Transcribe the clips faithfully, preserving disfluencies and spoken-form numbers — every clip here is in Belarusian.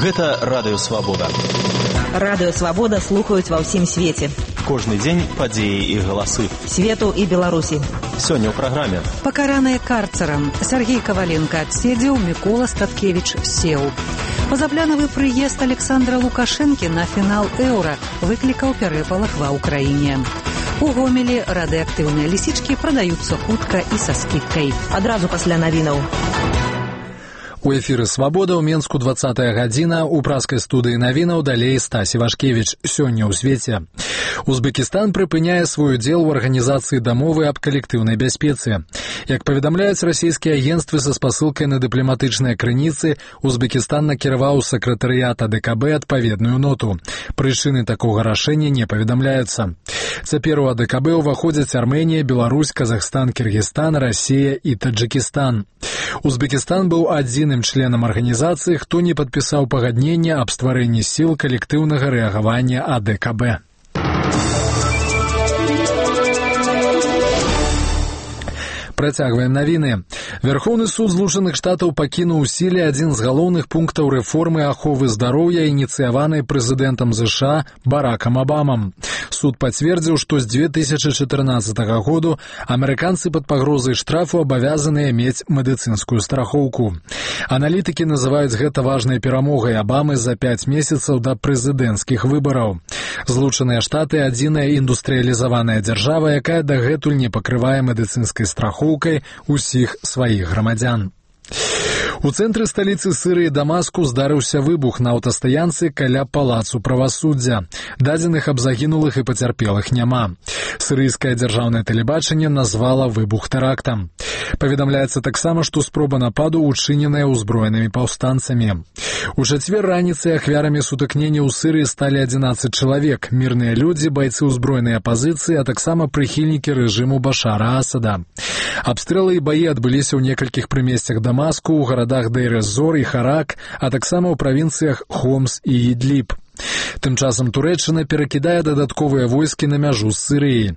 Гэта Радыё Свабода. Радыё Свабода слухаюць ва ўсім свеце. Кожны дзень падзеі і галасы. Свету і Беларусі. Сёння ў праграме. Пакараныя карцарам. Сергей Коваленко адседзеў, Мікола Статкевіч сеў. Пазапланавы прыезд Александра Лукашэнкі на фінал Еўра выклікаў перапалах ва ўкраіне. У Гомелі радыеактыўныя лісічкі прадаюцца хутка і са скідкай. Адразу пасля навінаў. У эфіры «Свабода» ў Менску двадцатая гадзіна, у праскай студыі навінаў далей Стась Івашкевіч. Сёння ў свеце. Узбекістан прыпыняе свой удзел у арганізацыі дамовы аб калектыўнай бяспецы. Як паведамляюць расійскія агенцтвы са спасылкай на дыпламатычныя крыніцы, Узбекістан накіраваў у сакратарыят А Дэ Ка Бэ адпаведную ноту. Прычыны такога рашэння не паведамляюцца. Цяпер у А Дэ Ка Бэ ўваходзяць Армэнія, Беларусь, Казахстан, Кіргізстан, Расія і Таджыкістан. Узбекістан быў адзіным членам арганізацыі, хто не падпісаў пагаднення аб стварэнні сіл калектыўнага рэагавання А Дэ Ка Бэ. Працягваем навіны. Вярхоўны суд Злучаных Штатаў пакінуў у сіле адзін з галоўных пунктаў рэформы аховы здароўя, ініцыяванай прэзідэнтам ЗША Баракам Абамам. Суд пацвердзіў, што з дзве тысячы чатырнаццатага году амерыканцы пад пагрозай штрафу абавязаныя мець медыцынскую страхоўку. Аналітыкі называюць гэта важнай перамогай Абамы за пяць месяцаў да прэзідэнцкіх выбараў. Злучаныя Штаты – адзіная індустрыялізаваная дзяржава, якая дагэтуль не пакрывае медыцынскай страхоўкай усіх сваіх грамадзян. У цэнтры сталіцы Сірыі Дамаску здарыўся выбух на аўтастаянцы каля палацу правасуддзя. Дадзеных аб загінулых і пацярпелых няма. Сірыйскае дзяржаўнае тэлебачанне назвала выбух тэрактам. Паведамляецца таксама, што спроба нападу учыненая ўзброенымі паўстанцамі. У чацвер раніцай ахвярамі сутыкнення ў Сірыі сталі адзінаццаць чалавек, мірныя людзі, байцы ўзброенай апазіцыі, а таксама прыхільнікі рэжыму Башара Асада. Абстрэлы і баі адбыліся ў некалькіх прымесцях Дамаску, у гарадах Дейр-эз-Зор і Харак, а таксама ў правінцыях Хомс і Ідліб. Тым часам Турэччына перакідае дадатковыя войскі на мяжу з Сірыяй.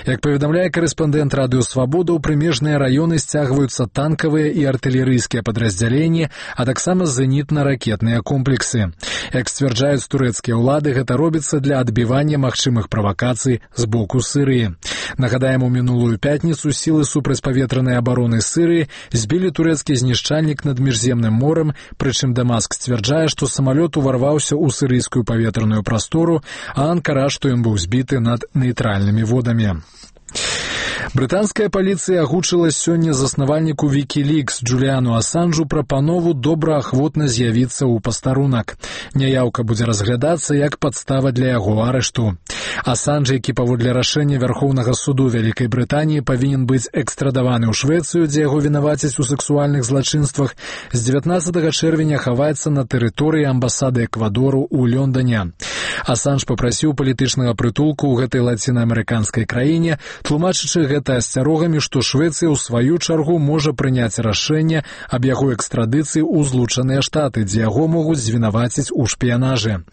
Як паведамляе карэспандэнт Радыё Свабода, у прымежныя раёны сцягваюцца танкавыя і артылерыйскія падраздзяленні, а таксама зенітна-ракетныя комплексы. Як сцвярджаюць турэцкія ўлады, гэта робіцца для адбівання магчымых правакацый з боку Сірыі. Нагадаем, у мінулую пятніцу сілы супрацьпаветранай абароны Сірыі збілі турэцкі знішчальнік над Міжземным морам, прычым Дамаск сцвярджае, што самалёт уварваўся ў сірыйскую паветраную прастору, а Анкара, што ён быў збіты над нейтральнымі водамі. Брытанская паліцыя агучыла сёння заснавальніку Вікілікс Джуліану Асанжу прапанову добраахвотна з'явіцца ў пастарунак. Няяўка будзе разглядацца як падстава для яго арышту. Асанж, які паводле рашэння Вярхоўнага суду Вялікай Брытаніі павінен быць экстрадаваны ў Швецыю, дзе яго вінавацяць у сексуальных злачынствах, з дзевятнаццатага чэрвеня хаваецца на тэрыторыі амбасады Эквадору ў Лондане. Асанж папрасіў палітычнага прытулку ў гэтай лацінаамерыканскай краіне, тлумачачы гэта асцярогамі, што Швецыя ў сваю чаргу можа прыняць рашэнне аб яго экстрадыцыі ў Злучаныя Штаты, дзе яго могуць звінаваціць у шпіянажы.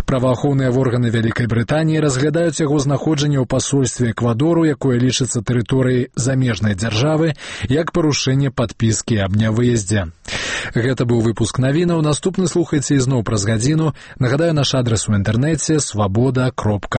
Праваахоўныя органы Вялікай Брытаніі разглядаюць яго знаходжанне ў пасольстве Эквадору, якое лічыцца тэрыторыяй замежнай дзяржавы, як парушэнне падпіскі аб нявыездзе. Гэта быў выпуск навінаў. Наступны слухайце ізноў праз гадзіну. Нагадаю, наш адрас у інтэрнэце свабода кропка